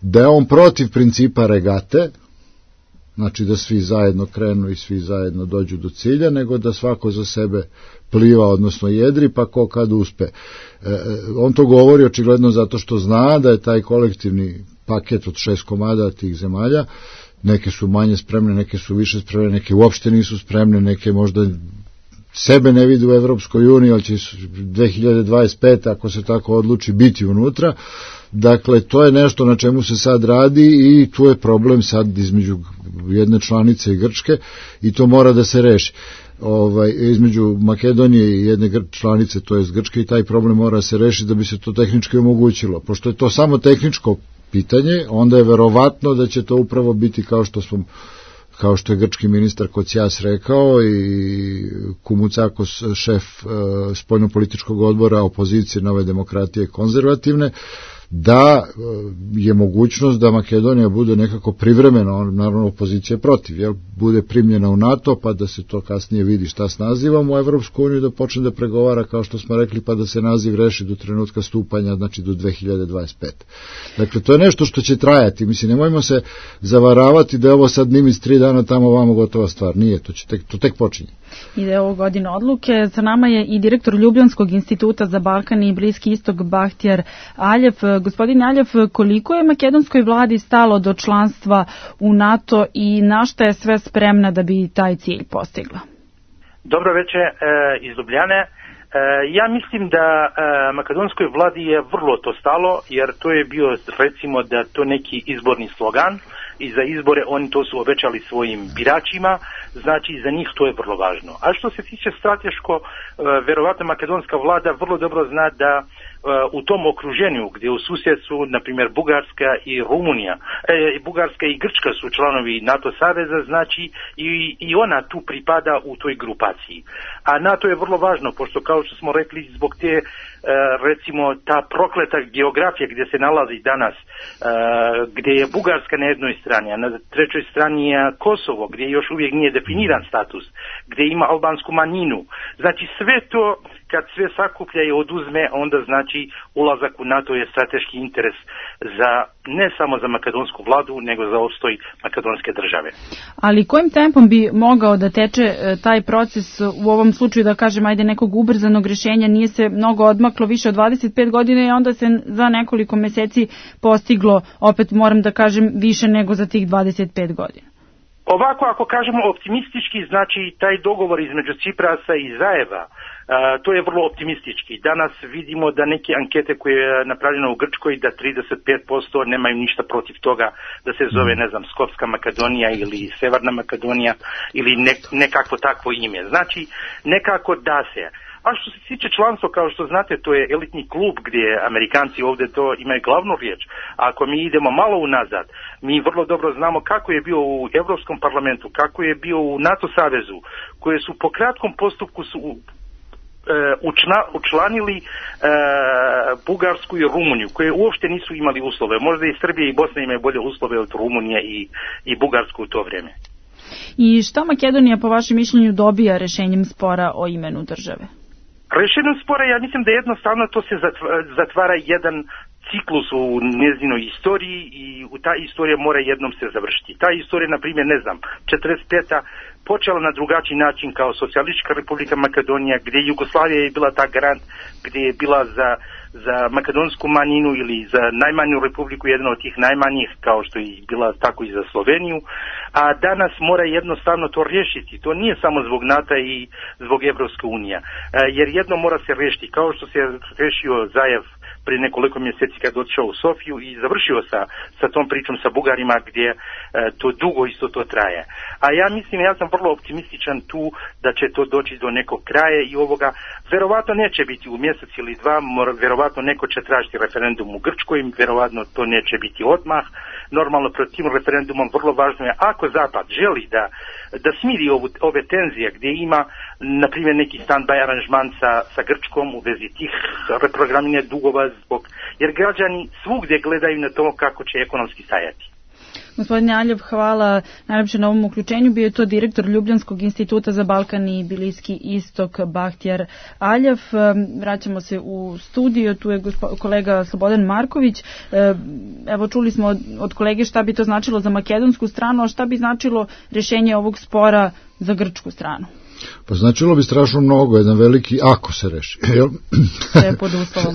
da je on protiv principa regate, znači da svi zajedno krenu i svi zajedno dođu do cilja, nego da svako za sebe pliva, odnosno jedri, pa ko kad uspe. On to govori očigledno zato što zna da je taj kolektivni paket od 6 komada tih zemalja, neke su manje spremne, neke su više spremne, neke uopšte nisu spremne, neke možda sebe ne vide u Evropskoj uniji, ali će 2025. ako se tako odluči biti unutra. Dakle, to je nešto na čemu se sad radi i tu je problem sad između jedne članice i Grčke i to mora da se reši. Između Makedonije i jedne članice, to je Grčke, i taj problem mora se rešiti da bi se to tehnički omogućilo. Pošto je to samo tehničko pitanje, onda je verovatno da će to upravo biti kao što je grčki ministar Kocias rekao i Kumucakos, šef spoljnopolitičkog odbora opozicije Nove demokratije konzervativne, da je mogućnost da Makedonija bude nekako privremeno, naravno opozicija protiv, bude primljena u NATO, pa da se to kasnije vidi šta s nazivom u Evropsku uniju, da počne da pregovara, kao što smo rekli, pa da se naziv reši do trenutka stupanja, znači do 2025. Dakle, to je nešto što će trajati. Mislim, nemojmo se zavaravati da je ovo sad Nimic 3 dana tamo ovamo gotova stvar. Nije, to tek počinje. I da je ovo godina odluke. Sa nama je i direktor Ljubljanskog instituta za Balkan i Bliski istok Bahtjar Aljev. Gospodin Aljev, koliko je makedonskoj vladi stalo do članstva u NATO i na šta je sve spremna da bi taj cilj postigla? Dobro večer iz Ljubljane. Ja mislim da makedonskoj vladi je vrlo to stalo, jer to je bio, recimo, da to neki izborni slogan i za izbore, oni to su obećali svojim biračima, znači za njih to je vrlo važno. A što se tiče strateško, verovatno makedonska vlada vrlo dobro zna da u tom okruženju gdje u susjedstvu, na primjer Bugarska i Rumunija, Bugarska i Grčka su članovi NATO saveza, znači i ona tu pripada u toj grupaciji. A NATO je vrlo važno, pošto kao što smo rekli, zbog te recimo ta prokleta geografija gdje se nalazi danas, gdje je Bugarska na jednoj strani, a na trećoj strani je Kosovo, gdje još uvijek nije definiran status, gdje ima albansku manjinu. Znači sve to, kad sve sakuplja i oduzme, onda znači ulazak u NATO je strateški interes za, ne samo za makedonsku vladu, nego za opstoj makedonske države. Ali kojim tempom bi mogao da teče taj proces u ovom slučaju, da kažem, ajde, nekog ubrzanog rješenja? Nije se mnogo odmaklo, više od 25 godina, i onda se za nekoliko meseci postiglo, opet moram da kažem, više nego za tih 25 godina. Ovako, ako kažemo optimistički, znači taj dogovor između Ciprasa i Zajeva, to je vrlo optimistički. Danas vidimo da neke ankete koje je napravljeno u Grčkoj, da 35% nemaju ništa protiv toga da se zove, ne znam, Skopska Makedonija ili Severna Makedonija ili nekakvo takvo ime. Znači, nekako da se. A što se tiče članstva, kao što znate, to je elitni klub gdje Amerikanci ovdje to imaju glavnu riječ. A ako mi idemo malo unazad, mi vrlo dobro znamo kako je bio u Europskom parlamentu, kako je bio u NATO savezu, koje su po kratkom postupku su učlanili Bugarsku i Rumuniju, koje uopšte nisu imali uslove. Možda i Srbija i Bosna imaju bolje uslove od Rumunije i Bugarsku u to vrijeme. I šta Makedonija po vašem mišljenju dobija rešenjem spora o imenu države? Rešenjem spora, ja mislim da jednostavno to se zatvara jedan ciklus u njezinoj istoriji i ta istorija mora jednom se završiti. Ta istorija, na primjer, ne znam, 45. počela na drugačiji način kao Socijalistička republika Makedonija, gdje Jugoslavija je bila ta garant, gdje je bila za makedonsku manjinu ili za najmanju republiku, jedna od tih najmanjih, kao što je bila tako i za Sloveniju, a danas mora jednostavno to riješiti. To nije samo zbog NATO i zbog Evropske unije, jer jedno mora se riješiti, kao što se riješio Zajev prije nekoliko mjeseci kad otišao u Sofiju i završio sa tom pričom sa Bugarima, gdje to dugo isto to traje. A ja mislim, ja sam vrlo optimističan tu da će to doći do nekog kraja i ovoga verovatno neće biti u mjesec ili dva, verovatno neko će tražiti referendum u Grčkoj, verovatno to neće biti odmah. Normalno pred tim referendumom vrlo važno je, ako Zapad želi da smiri ove tenzije gdje ima, na primjer, neki stand-by aranžman sa Grčkom u vezi tih reprogramiranja dugova, jer građani svugdje gledaju na to kako će ekonomski stajati. Gospodine Aljev, hvala najlepše na ovom uključenju. Bio je to direktor Ljubljanskog instituta za Balkan i Bliski istok Bahtjar Aljev. Vraćamo se u studio, tu je kolega Slobodan Marković. Evo, čuli smo od kolege šta bi to značilo za makedonsku stranu, a šta bi značilo rješenje ovog spora za grčku stranu? Pa značilo bi strašno mnogo, jedan veliki ako se reši.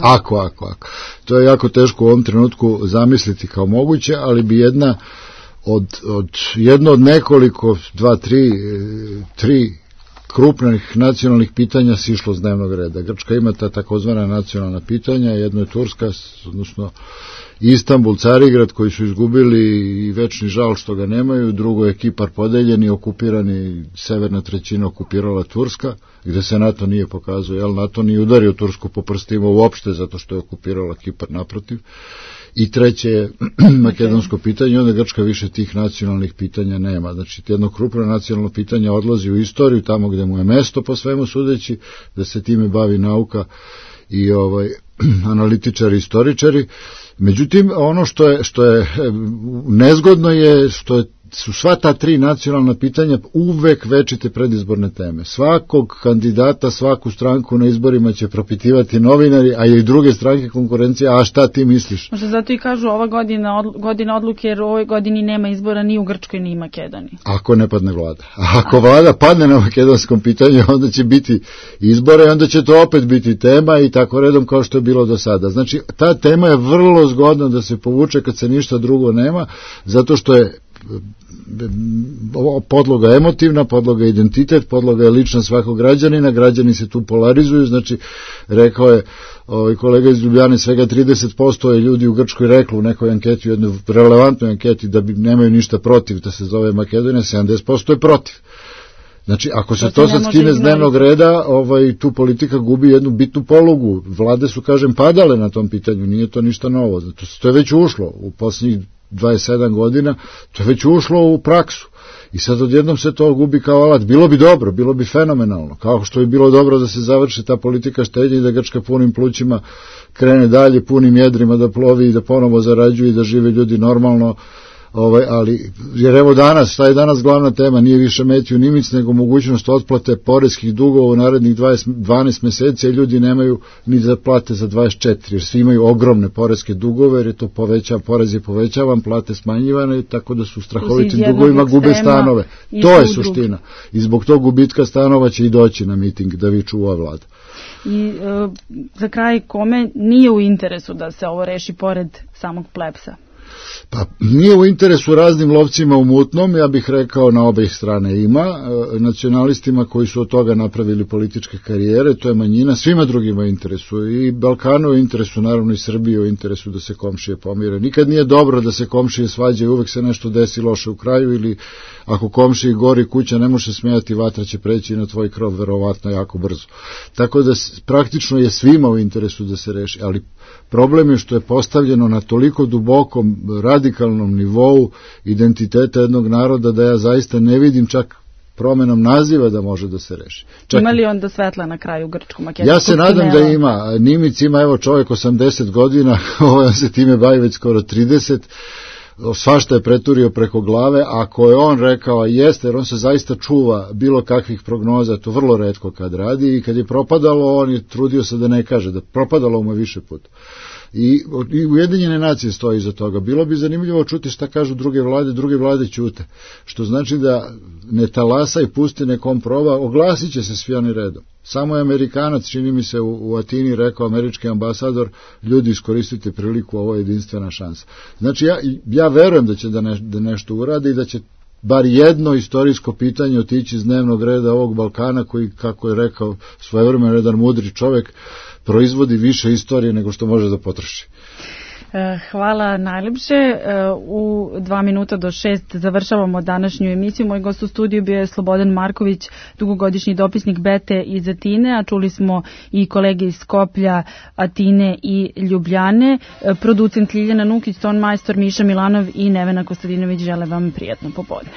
Ako. To je jako teško u ovom trenutku zamisliti kao moguće, ali bi jedno od nekoliko, tri krupnih nacionalnih pitanja sišlo s dnevnog reda. Grčka ima ta takozvana nacionalna pitanja, jedno je Turska, odnosno Istanbul, Carigrad, koji su izgubili i večni žal što ga nemaju, drugo je Kipar podeljen i okupirani, severna trećina okupirala Turska, gde se NATO nije pokazao, NATO nije udario Tursku po prstima uopšte zato što je okupirala Kipar, naprotiv. I treće je makedonsko pitanje, onda Grčka više tih nacionalnih pitanja nema. Znači, jedno krupno nacionalno pitanje odlazi u istoriju, tamo gde mu je mesto po svemu sudeći, da se time bavi nauka i analitičari, istoričari. Međutim, ono što je nezgodno je što su sva ta tri nacionalna pitanja uvek večite predizborne teme. Svakog kandidata, svaku stranku na izborima će propitivati novinari, a i druge stranke konkurencije, a šta ti misliš? Možda zato i kažu ova godina odluke, jer u ovoj godini nema izbora ni u Grčkoj ni u Makedoniji. Ako ne padne vlada. A ako vlada padne na makedonskom pitanju, onda će biti izbore i onda će to opet biti tema i tako redom kao što je bilo do sada. Znači, ta tema je vrlo zgodna da se povuče kad se ništa drugo nema, zato što je podloga emotivna, podloga identitet, podloga je lična svakog građanina, građani se tu polarizuju, znači rekao je kolega iz Ljubljane, svega 30% je ljudi u Grčkoj reklo u nekoj anketi, u jednoj relevantnoj anketi da nemaju ništa protiv da se zove Makedonija, 70% je protiv. Znači, ako se to sad skine s dnevnog reda, tu politika gubi jednu bitnu polugu. Vlade su, kažem, padale na tom pitanju, nije to ništa novo. To je već ušlo u posljednjih 27 godina, to je već ušlo u praksu. I sad odjednom se to gubi kao alat. Bilo bi dobro, bilo bi fenomenalno. Kao što je bilo dobro da se završi ta politika štednje i da Grčka punim plućima krene dalje, punim jedrima da plovi i da ponovo zarađuje i da žive ljudi normalno. Ali, jer evo danas, šta je danas glavna tema, nije više Metju Nimic, nego mogućnost otplate poreskih dugova u narednih 12 meseci, a ljudi nemaju ni da plate za 24, jer svi imaju ogromne poreske dugove, jer je to porez je povećavan, plate smanjivane, tako da su strahovitim dugovima gube stanove. To je suština. I zbog tog gubitka stanova će i doći na miting da viču ova vlada. I za kraj, kome nije u interesu da se ovo reši pored samog plebsa? Pa nije u interesu raznim lovcima u mutnom, ja bih rekao na obeh strane ima, nacionalistima koji su od toga napravili političke karijere, to je manjina, svima drugima u interesu, i Balkanu u interesu, naravno i Srbiji u interesu da se komšije pomire. Nikad nije dobro da se komšije svađaju, uvek se nešto desi loše u kraju, ili ako komšiji gori kuća ne može smijati, vatra će preći na tvoj krov verovatno jako brzo. Tako da praktično je svima u interesu da se reši, ali problem je što je postavljeno na toliko dubokom, radikalnom nivou identiteta jednog naroda da ja zaista ne vidim čak promenom naziva da može da se reši. Ima li onda svetla na kraju grčko-makedonskog Ja se nadam da ima. Nimic ima, evo, čovjek 80 godina, on se time bavi već skoro 30, svašta je preturio preko glave, ako je on rekao, jeste, jer on se zaista čuva bilo kakvih prognoza, to vrlo retko kad radi, i kad je propadalo, on je trudio se da ne kaže, da propadalo mu je više puta. I Ujedinjene nacije stoji iza toga. Bilo bi zanimljivo čuti šta kažu druge vlade ćute, što znači da ne talasa i pusti nekom proba, oglasit će se svi oni redom. Samo je Amerikanac, čini mi se, u Atini rekao, američki ambasador, ljudi, iskoristite priliku, ovo je jedinstvena šansa. Znači ja verujem da će da nešto uradi i da će bar jedno istorijsko pitanje otići iz dnevnog reda ovog Balkana, koji, kako je rekao svojevremeno jedan mudri čovjek, proizvodi više istorije nego što može da potroši. Hvala najljepše. U 2 minuta do 6 završavamo današnju emisiju. Moj gost u studiju bio je Slobodan Marković, dugogodišnji dopisnik Bete iz Atine, a čuli smo i kolege iz Skoplja, Atine i Ljubljane. Producent Ljiljana Nukić, ton majstor Miša Milanov i Nevena Kostadinović žele vam prijatno popodne.